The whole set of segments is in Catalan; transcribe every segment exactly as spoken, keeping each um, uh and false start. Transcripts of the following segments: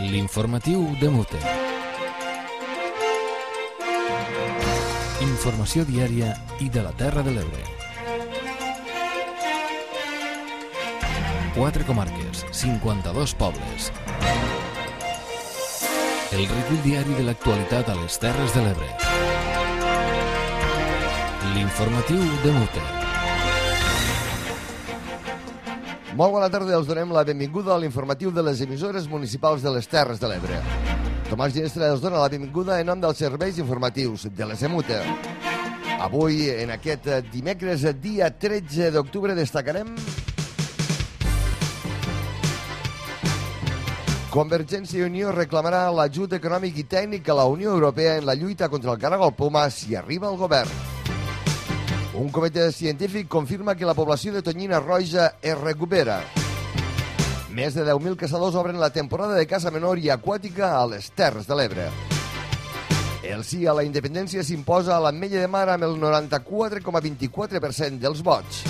L'informatiu de Mute. Informació diària i de la Terra de l'Ebre. Quatre comarques, cinquanta-dos pobles. El recull diari de l'actualitat a les Terres de l'Ebre. L'informatiu de Mute. Molt bona tarda, els donem la benvinguda a l'informatiu de les emissores municipals de les Terres de l'Ebre. Tomàs Ginestra els dona la benvinguda en nom dels serveis informatius de les Emute. Avui, en aquest dimecres, dia tretze d'octubre, destacarem Convergència i Unió reclamarà l'ajut econòmic i tècnic a la Unió Europea en la lluita contra el caragol poma si arriba al govern. Un comitè científic confirma que la població de tonyina roja es recupera. Més de deu mil caçadors obren la temporada de caça menor i aquàtica a les Terres de l'Ebre. El sí a la independència s'imposa a l'Ametlla de Mar amb el noranta-quatre coma vint-i-quatre per cent dels vots.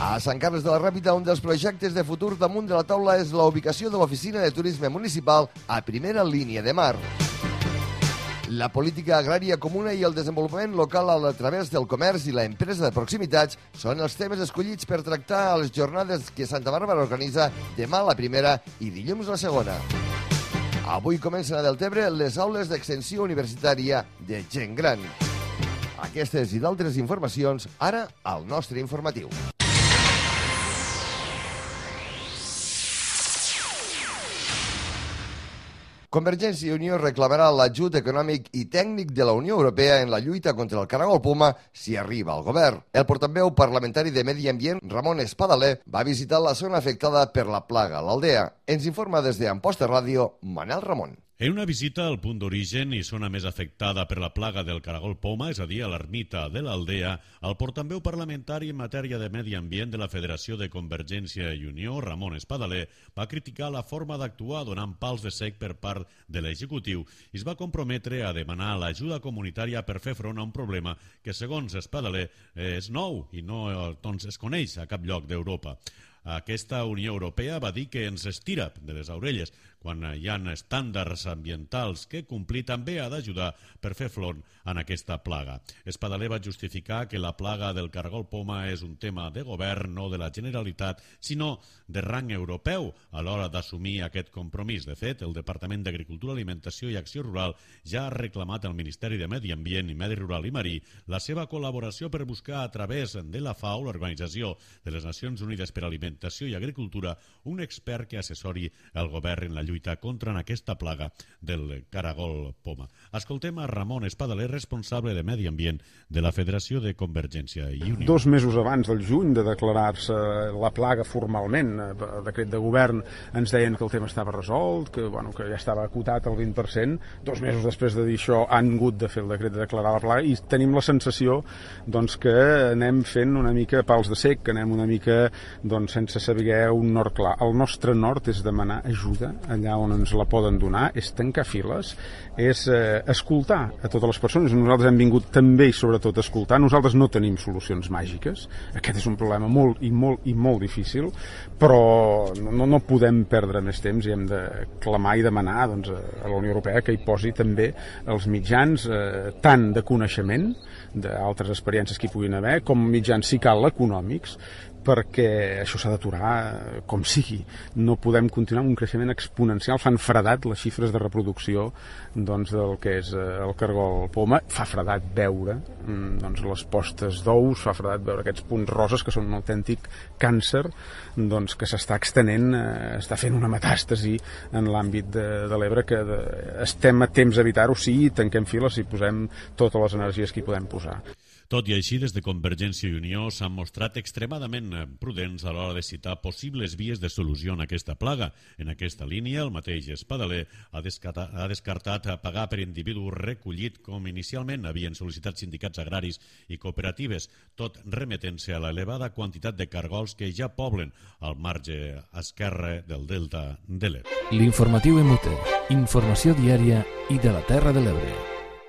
A Sant Carles de la Ràpita, un dels projectes de futur damunt de la taula és la ubicació de l'Oficina de Turisme Municipal a primera línia de mar. La política agrària comuna i el desenvolupament local a través del comerç i la empresa de proximitats són els temes escollits per tractar a les jornades que Santa Bàrbara organitza demà la primera i dilluns la segona. Avui comencen a Deltebre les aules d'extensió universitària de gent gran. Aquestes i d'altres informacions ara al nostre informatiu. Convergència i Unió reclamarà l'ajut econòmic i tècnic de la Unió Europea en la lluita contra el caragol poma si arriba al govern. El portaveu parlamentari de Medi Ambient, Ramon Espadaler, va visitar la zona afectada per la plaga a l'Aldea. Ens informa des d'Amposta Ràdio, Manel Ramon. En una visita al punt d'origen i zona més afectada per la plaga del caragol poma, és a dir, a l'ermita de l'Aldea, el portaveu parlamentari en matèria de medi ambient de la Federació de Convergència i Unió, Ramon Espadaler, va criticar la forma d'actuar donant pals de sec per part de l'executiu i es va comprometre a demanar l'ajuda comunitària per fer front a un problema que, segons Espadaler, és nou i no doncs, es coneix a cap lloc d'Europa. Aquesta Unió Europea va dir que ens estira de les orelles quan hi ha estàndards ambientals que complir també ha d'ajudar per fer front a aquesta plaga. Espadaler va justificar que la plaga del caragol poma és un tema de govern, no de la Generalitat, sinó de rang europeu a l'hora d'assumir aquest compromís. De fet, el Departament d'Agricultura, Alimentació i Acció Rural ja ha reclamat al Ministeri de Medi Ambient i Medi Rural i Marí la seva col·laboració per buscar a través de la FAO, l'Organització de les Nacions Unides per a Alimentació i Agricultura, un expert que assessori el govern en la lluita contra aquesta plaga del caragol poma. Escoltem a Ramon Espadaler, responsable de Medi Ambient de la Federació de Convergència i Unió. Dos mesos abans del juny de declarar-se la plaga formalment, a decret de govern, ens deien que el tema estava resolt, que, bueno, que ja estava acotat al vint per cent. Dos mesos després de dir això han hagut de fer el decret de declarar la plaga i tenim la sensació doncs, que anem fent una mica pals de sec, que anem una mica doncs, sense saber un nord clar. El nostre nord és demanar ajuda allà on ens la poden donar, és tancar files, és eh, escoltar a totes les persones. Nosaltres hem vingut també i sobretot a escoltar. Nosaltres no tenim solucions màgiques. Aquest és un problema molt i molt i molt difícil, però no, no podem perdre més temps i hem de clamar i demanar doncs, a la Unió Europea que hi posi també els mitjans eh, tant de coneixement d'altres experiències que hi puguin haver, com mitjans, si cal, econòmics, perquè això s'ha d'aturar com sigui. No podem continuar amb un creixement exponencial. Fan fredat les xifres de reproducció doncs, del que és el caragol poma. Fa fredat veure doncs, les postes d'ous, fa fredat veure aquests punts roses que són un autèntic càncer doncs, que s'està extenent, eh, està fent una metàstasi en l'àmbit de, de l'Ebre, que de, estem a temps d'evitar-ho si tanquem files, si posem totes les energies que hi podem posar. Tot i així, des de Convergència i Unió s'han mostrat extremadament prudents a l'hora de citar possibles vies de solució en aquesta plaga. En aquesta línia, el mateix Espadaler ha descartat, ha descartat pagar per individu recollit com inicialment havien sol·licitat sindicats agraris i cooperatives, tot remetent-se a l'elevada quantitat de cargols que ja poblen al marge esquerre del delta de l'Ebre. L'informatiu Emute, informació diària i de la Terra de l'Ebre.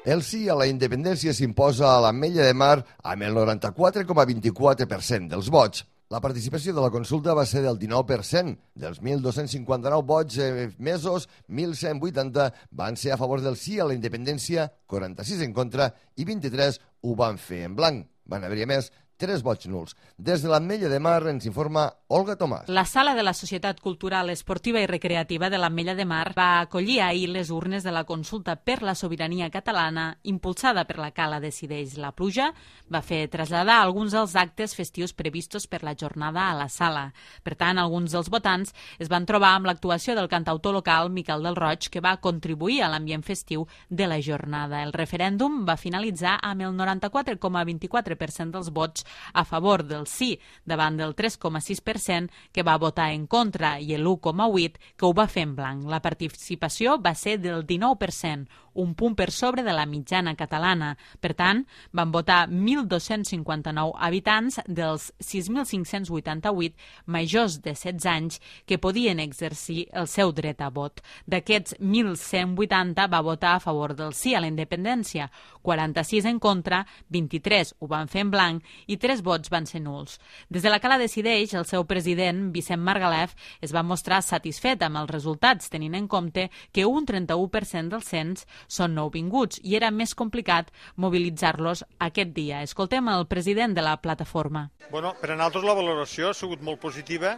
El sí a la independència s'imposa a l'Ametlla de Mar amb el noranta-quatre coma vint-i-quatre per cent dels vots. La participació de la consulta va ser del dinou per cent. Dels mil dos-cents cinquanta-nou vots emesos, mil cent vuitanta van ser a favor del sí a la independència, quaranta-sis en contra i vint-i-tres ho van fer en blanc. Van haver-hi, a més, tres vots nuls. Des de l'Ametlla de Mar ens informa Olga Tomàs. La sala de la Societat Cultural, Esportiva i Recreativa de l'Ametlla de Mar va acollir ahir les urnes de la consulta per la sobirania catalana impulsada per la Cala Decideix la Pluja. Va fer traslladar alguns dels actes festius previstos per la jornada a la sala. Per tant, alguns dels votants es van trobar amb l'actuació del cantautor local Miquel del Roig, que va contribuir a l'ambient festiu de la jornada. El referèndum va finalitzar amb el noranta-quatre coma vint-i-quatre per cent dels vots a favor del sí davant del tres coma sis per cent que va votar en contra i l'u coma vuit que ho va fer en blanc. La participació va ser del dinou per cent, un punt per sobre de la mitjana catalana. Per tant, van votar mil dos-cents cinquanta-nou habitants dels sis mil cinc-cents vuitanta-vuit majors de setze anys que podien exercir el seu dret a vot. D'aquests, mil cent vuitanta va votar a favor del sí a la independència, quaranta-sis en contra, vint-i-tres ho van fer en blanc i tres vots van ser nuls. Des de la Cala Decideix, el seu president, Vicent Margalef, es va mostrar satisfet amb els resultats, tenint en compte que un trenta-u per cent dels cens són nouvinguts i era més complicat mobilitzar-los aquest dia. Escoltem el president de la plataforma. Bueno, per a nosaltres la valoració ha sigut molt positiva,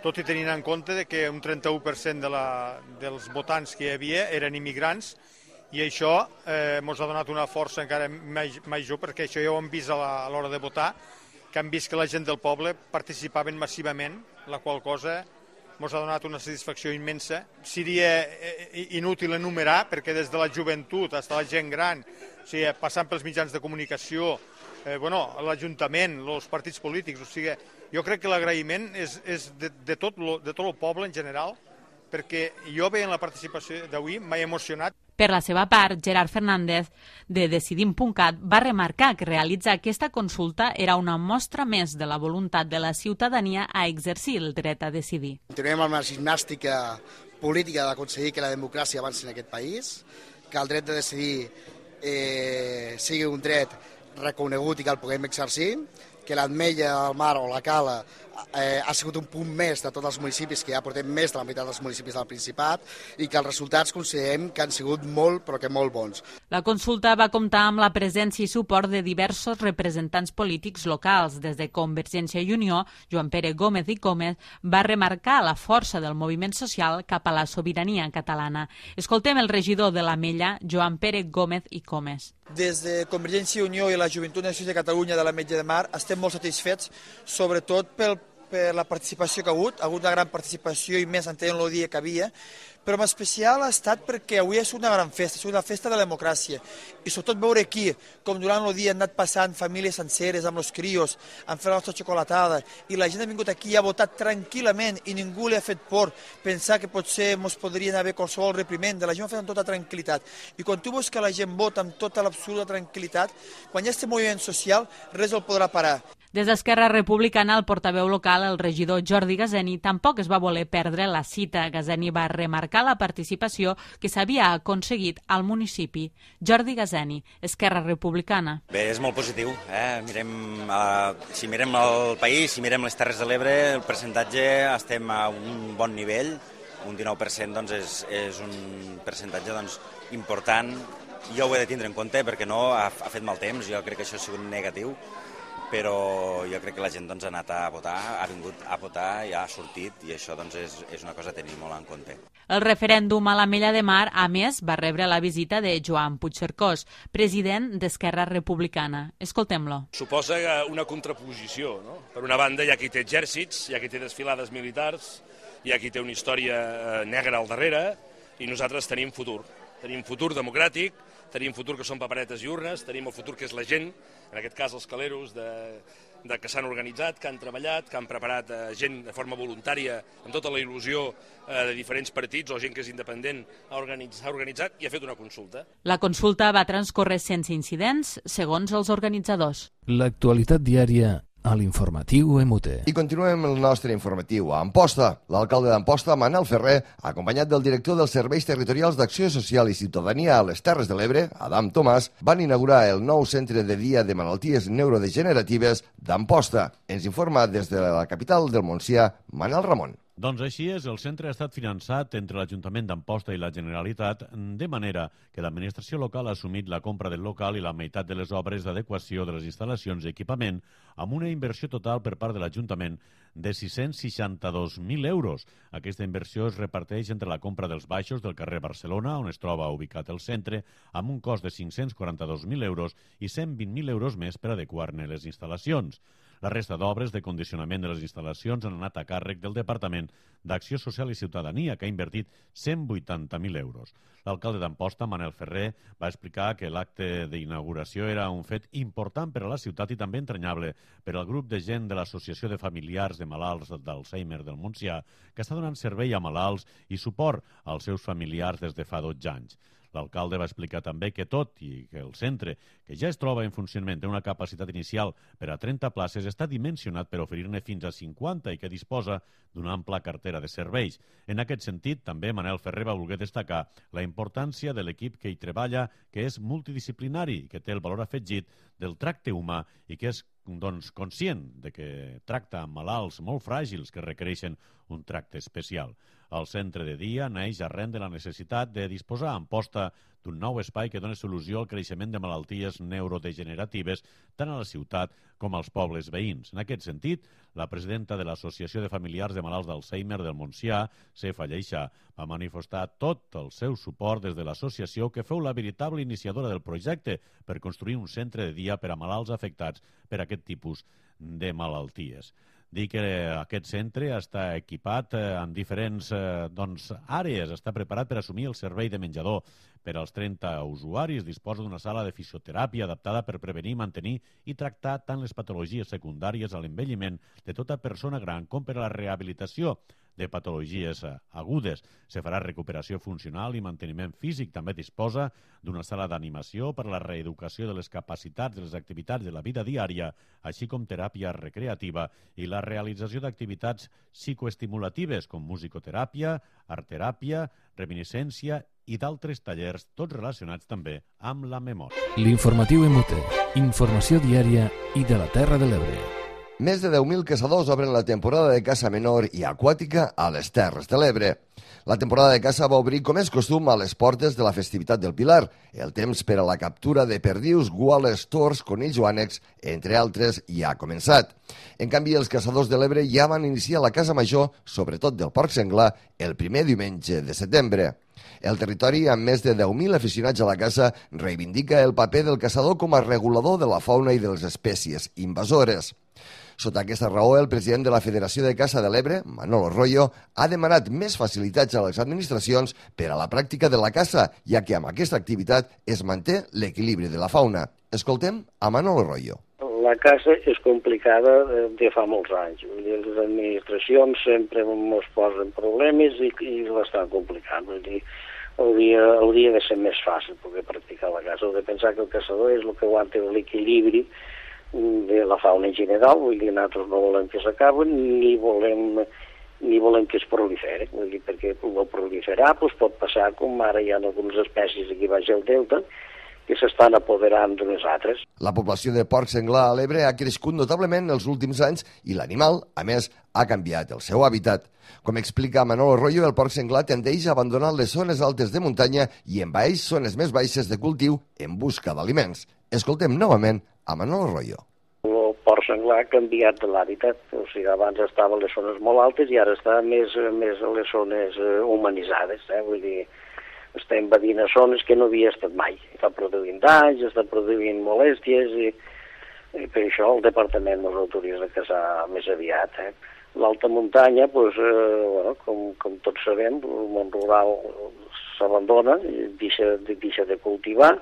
tot i tenint en compte de que un trenta-u per cent de la, dels votants que hi havia eren immigrants i això eh, ens ha donat una força encara major perquè això ja ho hem vist a l'hora de votar, que han vist que la gent del poble participaven massivament, la qual cosa ens ha donat una satisfacció immensa. Seria inútil enumerar perquè des de la joventut fins a la gent gran, o sigui, passant pels mitjans de comunicació, eh, bueno, l'Ajuntament, els partits polítics, o sigui, jo crec que l'agraïment és, és de, de, tot lo, de tot el poble en general, perquè jo veient la participació d'avui m'ha emocionat. Per la seva part, Gerard Fernández, de Decidim punt cat, va remarcar que realitzar aquesta consulta era una mostra més de la voluntat de la ciutadania a exercir el dret a decidir. Continuem amb la gimnàstica política d'aconseguir que la democràcia avanci en aquest país, que el dret de decidir eh, sigui un dret reconegut i que el puguem exercir, que l'Ametlla del Mar o la Cala eh, ha sigut un punt més de tots els municipis, que ja portem més de la meitat dels municipis del Principat, i que els resultats considerem que han sigut molt, però que molt bons. La consulta va comptar amb la presència i suport de diversos representants polítics locals. Des de Convergència i Unió, Joan Pere Gómez i Gómez va remarcar la força del moviment social cap a la sobirania catalana. Escoltem el regidor de l'Ametlla, Joan Pere Gómez i Gómez. Des de Convergència i Unió i la Joventut Nacionalista de Catalunya de l'Ametlla de Mar estem molt satisfets, sobretot pel, per la participació que ha hagut, ha hagut una gran participació i més entenent el dia que havia, però en especial ha estat perquè avui és una gran festa, és una festa de la democràcia, i sobretot veure aquí, com durant el dia han anat passant famílies senceres amb els crios, han fet la nostra xocolatada, i la gent ha vingut aquí i ha votat tranquil·lament i ningú li ha fet por pensar que potser ens podrien haver qualsevol reprimenda, la gent ho ha fet amb tota tranquil·litat, i quan tu veus que la gent vota amb tota l'absoluta tranquil·litat, quan hi ha aquest moviment social, res el podrà parar. Des d'Esquerra Republicana, el portaveu local, el regidor Jordi Gazeni, tampoc es va voler perdre la cita. Gazeni va remarcar la participació que s'havia aconseguit al municipi. Jordi Gazeni, Esquerra Republicana. Bé, és molt positiu. Eh? Mirem, eh, si mirem el país, si mirem les Terres de l'Ebre, el percentatge estem a un bon nivell. Un dinou per cent doncs, és, és un percentatge doncs, important. Jo ho he de tindre en compte perquè no ha, ha fet mal temps. Jo crec que això ha sigut negatiu. Però jo crec que la gent doncs, ha anat a votar, ha vingut a votar i ha sortit, i això doncs, és, és una cosa a tenir molt en compte. El referèndum a l'Ametlla de Mar, a més, va rebre la visita de Joan Puigcercós, president d'Esquerra Republicana. Escoltem-lo. Suposa una contraposició, no? Per una banda hi ha qui té exèrcits, hi ha qui té desfilades militars, hi ha qui té una història negra al darrere, i nosaltres tenim futur. Tenim futur democràtic, tenim futur que són paperetes i urnes, tenim el futur que és la gent, en aquest cas els caleros de, de que s'han organitzat, que han treballat, que han preparat eh, gent de forma voluntària, amb tota la il·lusió eh, de diferents partits o gent que és independent, ha organitzat, ha organitzat i ha fet una consulta. La consulta va transcórrer sense incidents, segons els organitzadors. L'actualitat diària a l'informatiu M U T. I continuem el nostre informatiu. A Amposta, l'alcalde d'Amposta, Manel Ferrer, acompanyat del director dels Serveis Territorials d'Acció Social i Ciutadania a les Terres de l'Ebre, Adam Tomàs, van inaugurar el nou centre de dia de malalties neurodegeneratives d'Amposta. Ens informa des de la capital del Montsià, Manel Ramon. Doncs així és, el centre ha estat finançat entre l'Ajuntament d'Amposta i la Generalitat, de manera que l'administració local ha assumit la compra del local i la meitat de les obres d'adequació de les instal·lacions i equipament, amb una inversió total per part de l'Ajuntament de sis-cents seixanta-dos mil euros. Aquesta inversió es reparteix entre la compra dels baixos del carrer Barcelona, on es troba ubicat el centre, amb un cost de cinc-cents quaranta-dos mil euros i cent vint mil euros més per adequar-ne les instal·lacions. La resta d'obres de condicionament de les instal·lacions han anat a càrrec del Departament d'Acció Social i Ciutadania, que ha invertit cent vuitanta mil euros. L'alcalde d'Amposta, Manel Ferrer, va explicar que l'acte d'inauguració era un fet important per a la ciutat i també entranyable per al grup de gent de l'Associació de Familiars de Malalts d'Alzheimer del Montsià, que està donant servei a malalts i suport als seus familiars des de fa dotze anys. L'alcalde va explicar també que tot i que el centre, que ja es troba en funcionament, té una capacitat inicial per a trenta places, està dimensionat per oferir-ne fins a cinquanta i que disposa d'una ampla cartera de serveis. En aquest sentit, també Manel Ferrer va voler destacar la importància de l'equip que hi treballa, que és multidisciplinari, que té el valor afegit del tracte humà i que és doncs, conscient de que tracta amb malalts molt fràgils que requereixen un tracte especial. El centre de dia neix arran de la necessitat de disposar a Amposta d'un nou espai que doni solució al creixement de malalties neurodegeneratives tant a la ciutat com als pobles veïns. En aquest sentit, la presidenta de l'Associació de Familiars de Malalts d'Alzheimer del Montsià, Cefa Lleixà, va manifestar tot el seu suport des de l'associació, que feu la veritable iniciadora del projecte per construir un centre de dia per a malalts afectats per aquest tipus de malalties. Dir que aquest centre està equipat en diferents eh, doncs, àrees, està preparat per assumir el servei de menjador per als trenta usuaris, disposa d'una sala de fisioteràpia adaptada per prevenir, mantenir i tractar tant les patologies secundàries a l'envelliment de tota persona gran com per a la rehabilitació de patologies agudes. Se farà recuperació funcional i manteniment físic. També disposa d'una sala d'animació per a la reeducació de les capacitats de les activitats de la vida diària, així com teràpia recreativa i la realització d'activitats psicoestimulatives com musicoteràpia, artteràpia, reminiscència i d'altres tallers, tots relacionats també amb la memòria. L'informatiu M U T, informació diària i de la Terra de l'Ebre. Més de deu mil caçadors obren la temporada de caça menor i aquàtica a les Terres de l'Ebre. La temporada de caça va obrir, com és costum, a les portes de la festivitat del Pilar. El temps per a la captura de perdius, guales, tors, conills o ànecs, entre altres, ja ha començat. En canvi, els caçadors de l'Ebre ja van iniciar la caça major, sobretot del porc senglar, el primer diumenge de setembre. El territori, amb més de deu mil aficionats a la caça, reivindica el paper del caçador com a regulador de la fauna i de les espècies invasores. Sota aquesta raó, el president de la Federació de Caça de l'Ebre, Manolo Royo, ha demanat més facilitats a les administracions per a la pràctica de la caça, ja que amb aquesta activitat es manté l'equilibri de la fauna. Escoltem a Manolo Royo. La caça és complicada de fa molts anys. Les administracions sempre ens posen problemes i, i l'estan complicant. Vull dir, hauria, hauria de ser més fàcil poder practicar la caça. Heu de pensar que el caçador és el que aguanta l'equilibri de la fauna en general. Vull dir, nosaltres no volem que s'acaben ni volem ni volem que es prolifere. Vull dir, perquè el proliferar doncs, pot passar com ara hi ha algunes espècies aquí baix al delta que s'estan apoderant d'unes altres. La població de porc senglar a l'Ebre ha crescut notablement els últims anys i l'animal, a més, ha canviat el seu hàbitat. Com explica Manolo Royo, el porc senglar tendeix a abandonar les zones altes de muntanya i envaeix zones més baixes de cultiu en busca d'aliments. Escoltem novament a Manolo Royo. El porc senglar ha canviat de l'hàbitat. O sigui, abans estava a les zones molt altes i ara està més, més a les zones humanitzades. Eh? Vull dir, està invadint a zones que no havia estat mai. Està produint danys, està produint molèsties i, i per això el departament ens autoritza a caçar més aviat. Eh? L'alta muntanya, pues, eh, bueno, com, com tots sabem, el món rural s'abandona, deixa, deixa de cultivar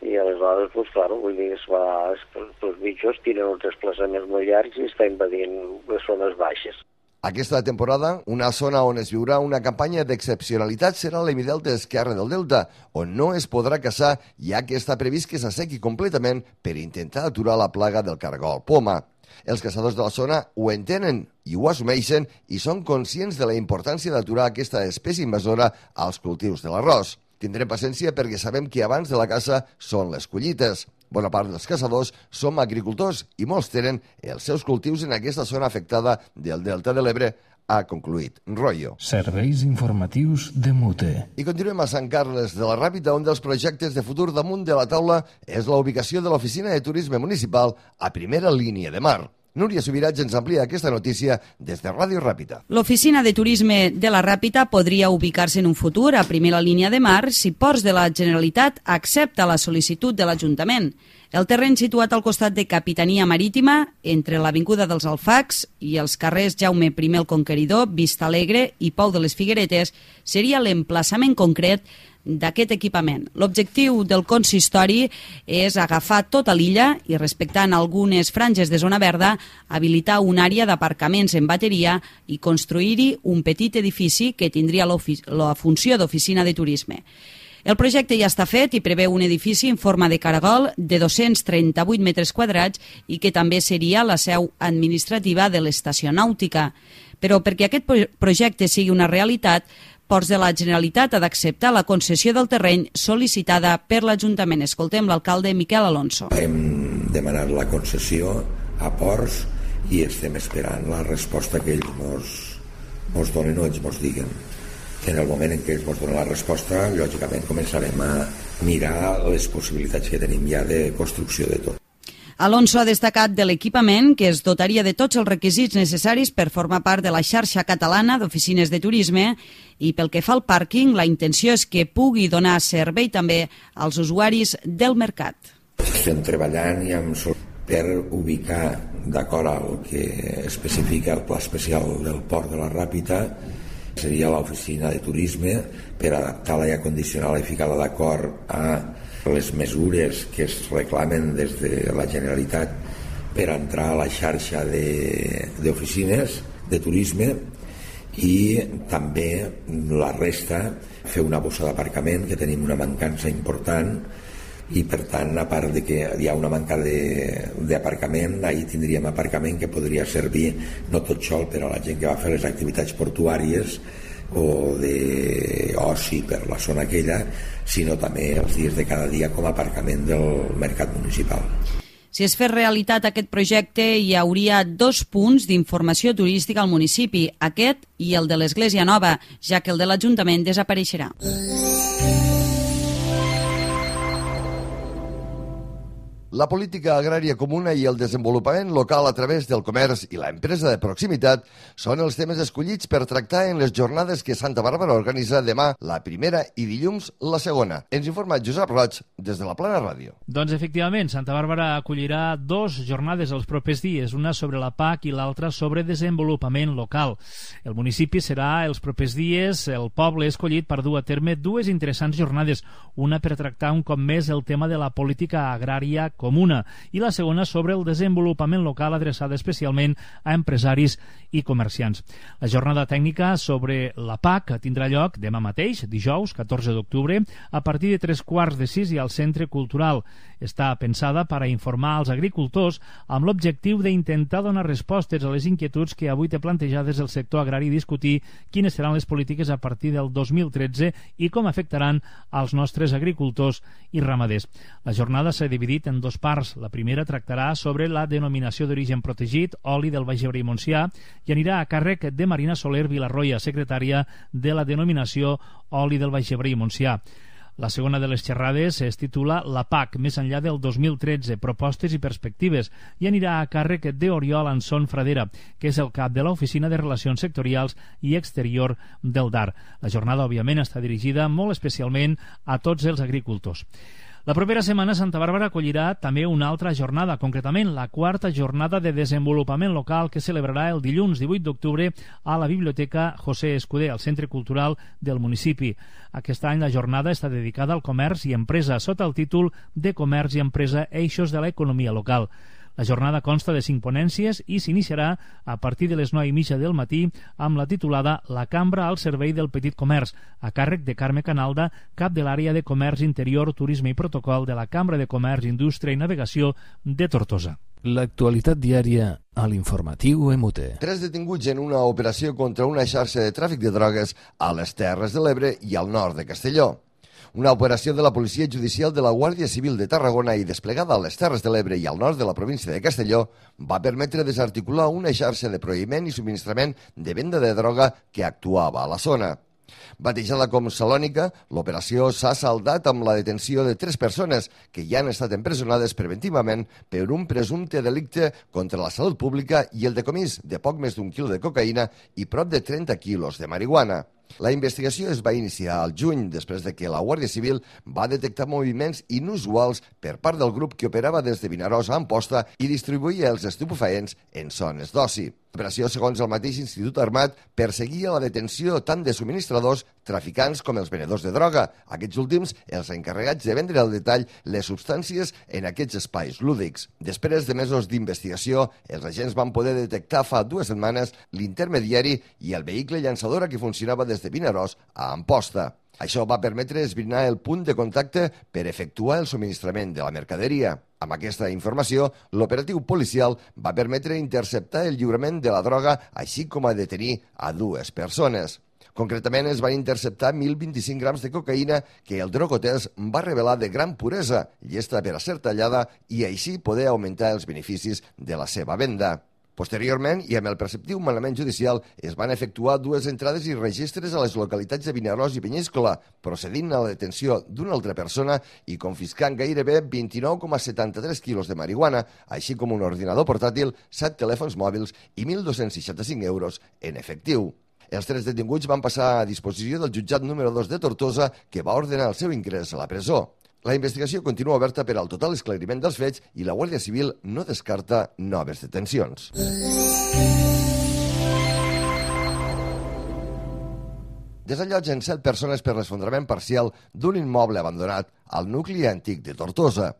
i aleshores, pues, claro, vull dir, es va, els bitxos tenen uns desplaçaments molt llargs i està invadint les zones baixes. Aquesta temporada, una zona on es viurà una campanya d'excepcionalitat serà l'Hemidelta esquerre del Delta, on no es podrà caçar, ja que està previst que s'assequi completament per intentar aturar la plaga del caragol poma. Els caçadors de la zona ho entenen i ho assumeixen i són conscients de la importància d'aturar aquesta espècie invasora als cultius de l'arròs. Tindrem paciència perquè sabem que abans de la caça són les collites. Bona part dels caçadors som agricultors i molts tenen els seus cultius en aquesta zona afectada del Delta de l'Ebre, ha concluït Royo. Serveis informatius de Mute. I continuem a Sant Carles de la Ràpita, un dels projectes de futur damunt de la taula és la ubicació de l'Oficina de Turisme Municipal a primera línia de mar. Núria Subirats ens amplia aquesta notícia des de Ràdio Ràpita. L'Oficina de Turisme de la Ràpita podria ubicar-se en un futur a primera línia de mar si Ports de la Generalitat accepta la sol·licitud de l'Ajuntament. El terreny situat al costat de Capitania Marítima, entre l'Avinguda dels Alfacs i els carrers Jaume primer el Conqueridor, Vista Alegre i Pou de les Figueretes, seria l'emplaçament concret d'aquest equipament. L'objectiu del consistori és agafar tota l'illa i, respectant algunes franges de zona verda, habilitar una àrea d'aparcaments en bateria i construir-hi un petit edifici que tindria la funció d'oficina de turisme. El projecte ja està fet i preveu un edifici en forma de caragol de dos-cents trenta-vuit metres quadrats i que també seria la seu administrativa de l'estació nàutica. Però perquè aquest projecte sigui una realitat, Ports de la Generalitat ha d'acceptar la concessió del terreny sol·licitada per l'Ajuntament. Escoltem l'alcalde Miquel Alonso. Hem demanat la concessió a Ports i estem esperant la resposta que ells mos, mos donen o ells mos diguen. En el moment en què ells mos donen la resposta, lògicament començarem a mirar les possibilitats que tenim ja de construcció de tot. Alonso ha destacat de l'equipament que es dotaria de tots els requisits necessaris per formar part de la xarxa catalana d'oficines de turisme i pel que fa al pàrquing, la intenció és que pugui donar servei també als usuaris del mercat. Estem treballant i amb per ubicar, d'acord al que especifica el pla especial del Port de la Ràpita, seria l'oficina de turisme per adaptar-la i acondicionar-la i ficar-la d'acord a les mesures que es reclamen des de la Generalitat per entrar a la xarxa d'oficines de, de turisme i també la resta fer una bossa d'aparcament, que tenim una mancança important i per tant, a part de que hi ha una manca d'aparcament, ahir tindríem aparcament que podria servir no tot sol per a la gent que va fer les activitats portuàries o d'oci per la zona aquella, sinó també els dies de cada dia com a aparcament del mercat municipal. Si es fes realitat aquest projecte, hi hauria dos punts d'informació turística al municipi, aquest i el de l'Església Nova, ja que el de l'Ajuntament desapareixerà. La política agrària comuna i el desenvolupament local a través del comerç i la empresa de proximitat són els temes escollits per tractar en les jornades que Santa Bàrbara organitza demà la primera i dilluns la segona. Ens informa Josep Roig des de la Plana Ràdio. Doncs efectivament, Santa Bàrbara acollirà dos jornades els propers dies, una sobre la P A C i l'altra sobre desenvolupament local. El municipi serà els propers dies el poble escollit per dur a terme dues interessants jornades, una per tractar un cop més el tema de la política agrària comuna i la segona sobre el desenvolupament local adreçada especialment a empresaris i comerciants. La jornada tècnica sobre la P A C tindrà lloc demà mateix, dijous, catorze d'octubre, a partir de tres quarts de sis i al Centre Cultural. Està pensada per a informar als agricultors amb l'objectiu d'intentar donar respostes a les inquietuds que avui té plantejades el sector agrari i discutir quines seran les polítiques a partir del dos mil tretze i com afectaran als nostres agricultors i ramaders. La jornada s'ha dividit en dos parts. La primera tractarà sobre la denominació d'origen protegit, oli del Baix Ebre i Montsià, i anirà a càrrec de Marina Soler Vilarroya, secretària de la denominació oli del Baix Ebre i Montsià. La segona de les xerrades es titula La P A C, més enllà del dos mil tretze, propostes i perspectives, i anirà a càrrec d'Oriol Anson Fradera, que és el cap de l'Oficina de Relacions Sectorials i Exterior del D A R. La jornada, òbviament, està dirigida molt especialment a tots els agricultors. La propera setmana Santa Bàrbara acollirà també una altra jornada, concretament la quarta jornada de desenvolupament local que celebrarà el dilluns divuit d'octubre a la Biblioteca José Escudé, al Centre Cultural del municipi. Aquest any la jornada està dedicada al comerç i empresa, sota el títol de Comerç i Empresa, eixos de l'economia local. La jornada consta de cinc ponències i s'iniciarà a partir de les nou i mitja del matí amb la titulada La Cambra al servei del petit comerç, a càrrec de Carme Canalda, cap de l'àrea de Comerç Interior, Turisme i Protocol de la Cambra de Comerç, Indústria i Navegació de Tortosa. L'actualitat diària a l'informatiu E M U T E. Tres detinguts en una operació contra una xarxa de tràfic de drogues a les Terres de l'Ebre i al nord de Castelló. Una operació de la Policia Judicial de la Guàrdia Civil de Tarragona i desplegada a les Terres de l'Ebre i al nord de la província de Castelló va permetre desarticular una xarxa de prohibiment i subministrament de venda de droga que actuava a la zona. Batejada com Salònica, l'operació s'ha saldat amb la detenció de tres persones que ja han estat empresonades preventivament per un presumpte delicte contra la salut pública i el decomís de poc més d'un quilo de cocaïna i prop de trenta quilos de marihuana. La investigació es va iniciar al juny, després de que la Guàrdia Civil va detectar moviments inusuals per part del grup que operava des de Vinaròs a Amposta i distribuïa els estupefaents en zones d'oci. L'operació, segons el mateix Institut Armat, perseguia la detenció tant de subministradors, traficants com els venedors de droga. Aquests últims, els encarregats de vendre al detall les substàncies en aquests espais lúdics. Després de mesos d'investigació, els agents van poder detectar fa dues setmanes l'intermediari i el vehicle llançadora que funcionava des de Vinaròs a Amposta. Això va permetre esbrinar el punt de contacte per efectuar el subministrament de la mercaderia. Amb aquesta informació, l'operatiu policial va permetre interceptar el lliurament de la droga, així com a detenir a dues persones. Concretament, es van interceptar mil vint-i-cinc grams de cocaïna que el drogotès va revelar de gran puresa, llesta per a ser tallada i així poder augmentar els beneficis de la seva venda. Posteriorment, i amb el preceptiu manament judicial, es van efectuar dues entrades i registres a les localitats de Vinaròs i Penyíscola, procedint a la detenció d'una altra persona i confiscant gairebé vint-i-nou coma setanta-tres quilos de marihuana, així com un ordinador portàtil, set telèfons mòbils i mil dos-cents seixanta-cinc euros en efectiu. Els tres detinguts van passar a disposició del jutjat número dos de Tortosa, que va ordenar el seu ingrés a la presó. La investigació continua oberta per al total esclariment dels fets i la Guàrdia Civil no descarta noves detencions. Desallotgen set persones per l'esfondrament parcial d'un immoble abandonat al nucli antic de Tortosa.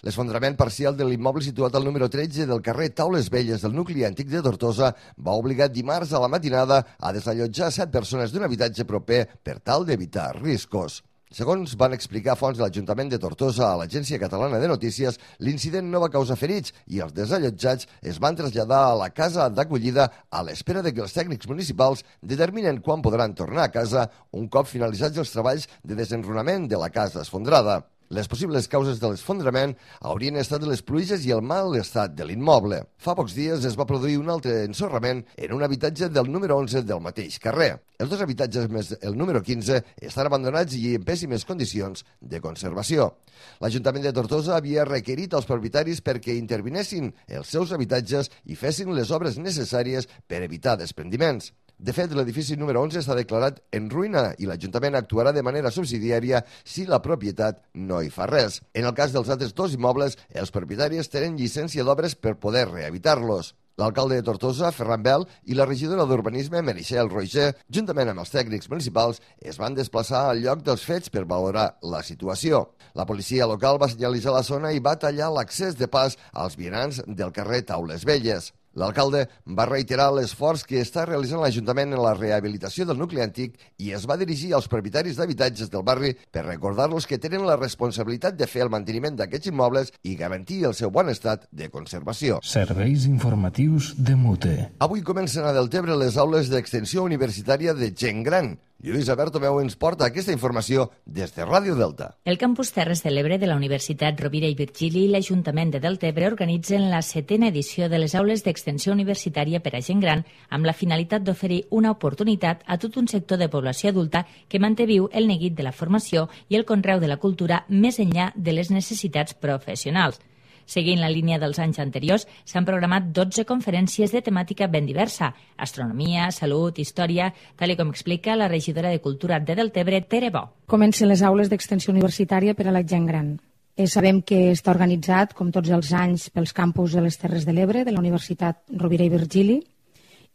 L'esfondrament parcial de l'immoble situat al número tretze del carrer Taules Velles del nucli antic de Tortosa va obligar dimarts a la matinada a desallotjar set persones d'un habitatge proper per tal d'evitar riscos. Segons van explicar fonts de l'Ajuntament de Tortosa a l'Agència Catalana de Notícies, l'incident no va causar ferits i els desallotjats es van traslladar a la casa d'acollida a l'espera de que els tècnics municipals determinen quan podran tornar a casa un cop finalitzats els treballs de desenrunament de la casa esfondrada. Les possibles causes de l'esfondrament haurien estat les pluges i el mal estat de l'immoble. Fa pocs dies es va produir un altre ensorrament en un habitatge del número onze del mateix carrer. Els dos habitatges més el número quinze estan abandonats i en pèssimes condicions de conservació. L'Ajuntament de Tortosa havia requerit als propietaris perquè intervinessin els seus habitatges i fessin les obres necessàries per evitar desprendiments. De fet, l'edifici número onze està declarat en ruïna i l'Ajuntament actuarà de manera subsidiària si la propietat no hi fa res. En el cas dels altres dos immobles, els propietaris tenen llicència d'obres per poder rehabilitar-los. L'alcalde de Tortosa, Ferran Bel, i la regidora d'Urbanisme, Meritxell Roger, juntament amb els tècnics municipals, es van desplaçar al lloc dels fets per valorar la situació. La policia local va senyalitzar la zona i va tallar l'accés de pas als vianants del carrer Taules Velles. L'alcalde va reiterar l'esforç que està realitzant l'Ajuntament en la rehabilitació del nucli antic i es va dirigir als propietaris d'habitatges del barri per recordar-los que tenen la responsabilitat de fer el manteniment d'aquests immobles i garantir el seu bon estat de conservació. Serveis informatius de M U T E. Avui comencen a Deltebre les aules d'extensió universitària de gent gran. Lluïsa Bertomeu ens porta aquesta informació des de Ràdio Delta. El campus Terres de l'Ebre de la Universitat Rovira i Virgili i l'Ajuntament de Deltebre organitzen la setena edició de les aules d'extensió universitària per a gent gran amb la finalitat d'oferir una oportunitat a tot un sector de població adulta que manté viu el neguit de la formació i el conreu de la cultura més enllà de les necessitats professionals. Seguint la línia dels anys anteriors, s'han programat dotze conferències de temàtica ben diversa: astronomia, salut, història, tal com explica la regidora de Cultura de Deltebre, Tere Bo. Comencen les aules d'extensió universitària per a la gent gran. Eh, sabem que està organitzat, com tots els anys, pels campus de les Terres de l'Ebre, de la Universitat Rovira i Virgili,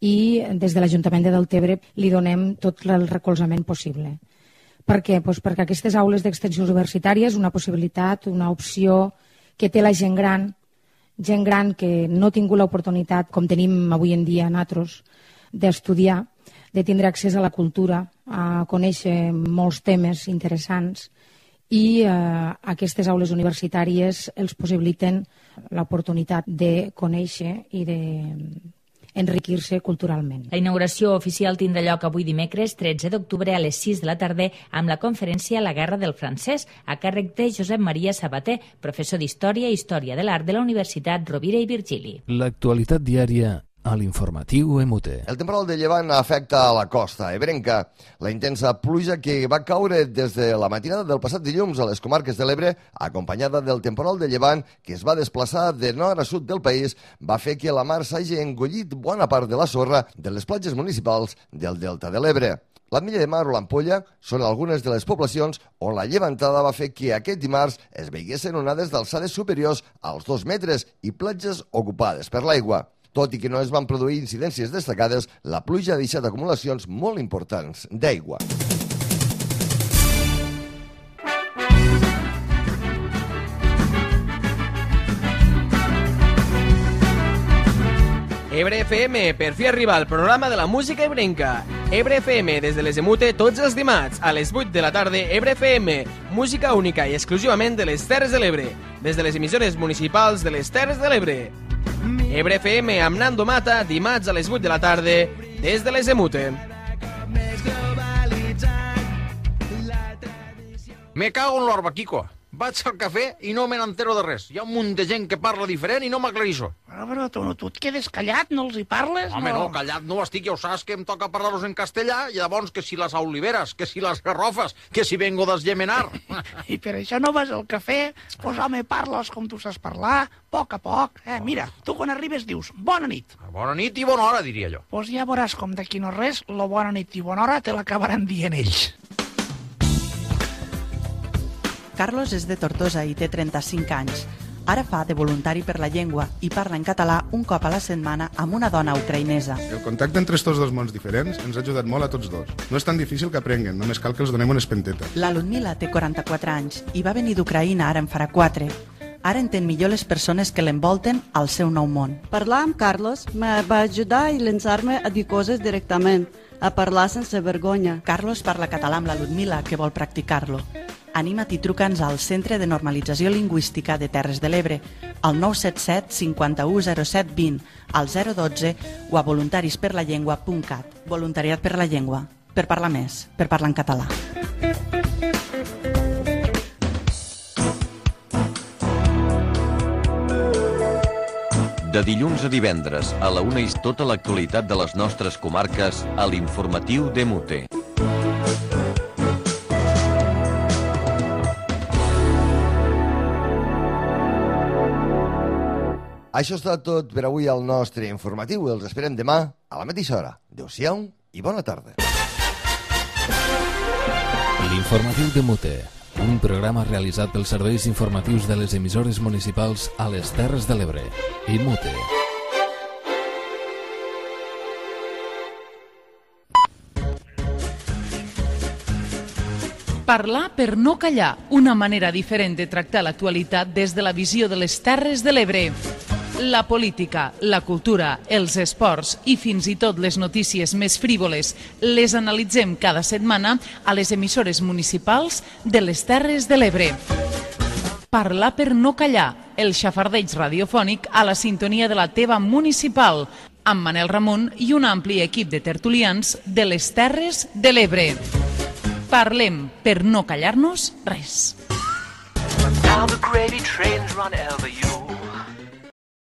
i des de l'Ajuntament de Deltebre li donem tot el recolzament possible. Per què? Pues perquè aquestes aules d'extensió universitària és una possibilitat, una opció que té la gent gran, gent gran que no ha tingut l'oportunitat, com tenim avui en dia nosaltres, d'estudiar, de tindre accés a la cultura, a conèixer molts temes interessants i eh, aquestes aules universitàries els possibiliten l'oportunitat de conèixer i de enriquir-se culturalment. La inauguració oficial tindrà lloc avui dimecres tretze d'octubre a les sis de la tarda amb la conferència La guerra del francès a càrrec de Josep Maria Sabater, professor d'Història i Història de l'Art de la Universitat Rovira i Virgili. L'actualitat diària a l'informatiu E M U T E. El temporal de llevant afecta a la costa ebrenca. La intensa pluja que va caure des de la matinada del passat dilluns a les comarques de l'Ebre, acompanyada del temporal de llevant que es va desplaçar de nord a sud del país, va fer que la mar s'hagi engollit bona part de la sorra de les platges municipals del delta de l'Ebre. L'Ametlla de Mar o l'Ampolla són algunes de les poblacions on la llevantada va fer que aquest dimarts es veiguessin onades d'alçades superiors als dos metres i platges ocupades per l'aigua. Tot i que no es van produir incidències destacades, la pluja ha deixat acumulacions molt importants d'aigua. Ebre F M, per fi arriba al programa de la música ebrenca. Ebre F M, des de les E M U T E, tots els dimarts, a les vuit de la tarda, Ebre F M, música única i exclusivament de les Terres de l'Ebre, des de les emissores municipals de les Terres de l'Ebre. Ebre F M amb Nando Mata, dimarts a les vuit de la tarda, des de les E M U T E. Me cago en l'orba, Kiko. Vaig al cafè i no me n'entero de res. Hi ha un munt de gent que parla diferent i no m'aclarixo. Però, però tu, no, tu et quedes callat, no els hi parles? Home, no, no callat no estic, ja ho saps que em toca parlar-los en castellà, i llavors que si les oliveres, que si les garrofes, que si vengo d'esgemenar. I per això no vas al cafè? Pues home, parles com tu saps parlar, a poc a poc. Eh? Mira, tu quan arribes dius, bona nit. Bona nit i bona hora, diria jo. Pues ja veuràs com d'aquí no res, la bona nit i bona hora te l'acabaran dient ells. Carlos és de Tortosa i té trenta-cinc anys. Ara fa de voluntari per la llengua i parla en català un cop a la setmana amb una dona ucraïnesa. El contacte entre estos dos mons diferents ens ha ajudat molt a tots dos. No és tan difícil que aprenguen, només cal que els donem unes pentetes. La Ludmila té quaranta-quatre anys i va venir d'Ucraïna, ara en farà quatre. Ara entén millor les persones que l'envolten al seu nou món. Parlar amb Carlos me va ajudar a llançar-me a dir coses directament, a parlar sense vergonya. Carlos parla català amb la Ludmila, que vol practicar-lo. Anima't i truca'ns al Centre de Normalització Lingüística de Terres de l'Ebre, al nou set set cinquanta-u zero set vint, al zero dotze o a voluntarisperlallengua punt cat. Voluntariat per la llengua, per parlar més, per parlar en català. De dilluns a divendres, a la una, és tota l'actualitat de les nostres comarques a l'informatiu d'E M U T E. Això està tot per avui al nostre informatiu. Els esperem demà a la mateixa hora. Adéu-siau i bona tarda. L'informatiu d'E M U T E, un programa realitzat pels serveis informatius de les emissores municipals a les Terres de l'Ebre. E M U T E. Parlar per no callar, una manera diferent de tractar l'actualitat des de la visió de les Terres de l'Ebre. La política, la cultura, els esports i fins i tot les notícies més frívoles les analitzem cada setmana a les emissores municipals de les Terres de l'Ebre. Parlar per no callar, el xafardeig radiofònic a la sintonia de la teva municipal, amb Manel Ramon i un ampli equip de tertulians de les Terres de l'Ebre. Parlem per no callar-nos res. Now the gravy trains run ever you